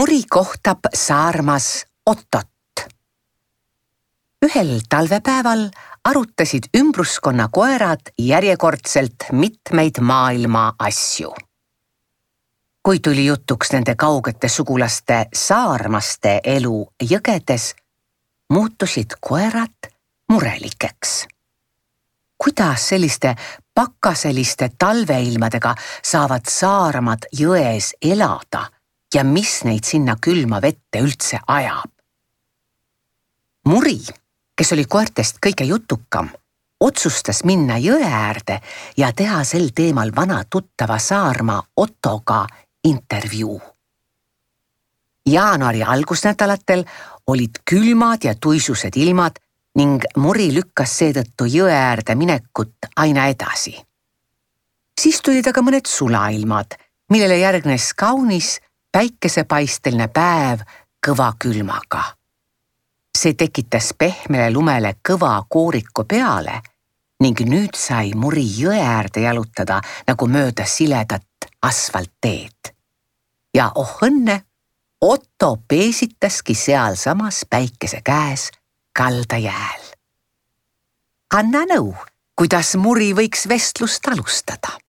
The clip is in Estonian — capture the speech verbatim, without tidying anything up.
Muri kohtab Saarmas Ottot. Ühel talvepäeval arutasid ümbruskonna koerad järjekordselt mitmeid maailma asju. Kui tuli jutuks nende kaugete sugulaste saarmaste elu jõgedes, muutusid koerad murelikeks. Kuidas selliste pakaseliste talveilmadega saavad saarmad jões elada ja mis neid sinna külma vette üldse ajab? Muri, kes oli koertest kõige jutukam, otsustas minna jõe äärde ja teha sel teemal vana tuttava Saarma Ottoga intervjuu. Jaanuari algusnädalatel olid külmad ja tuisused ilmad ning Muri lükkas seetõttu jõe äärde minekut aina edasi. Siis tulid aga mõned sulailmad, millele järgnes kaunis päikesepaisteline päev kõva külmaga. See tekitas pehmele lumele kõva kooriku peale ning nüüd sai Muri jõe äärde jalutada nagu mööda siledat asfaltteed. Ja oh õnne, Otto peesitaski sealsamas päikese käes kalda jääl. Anna nõu, kuidas Muri võiks vestlust alustada.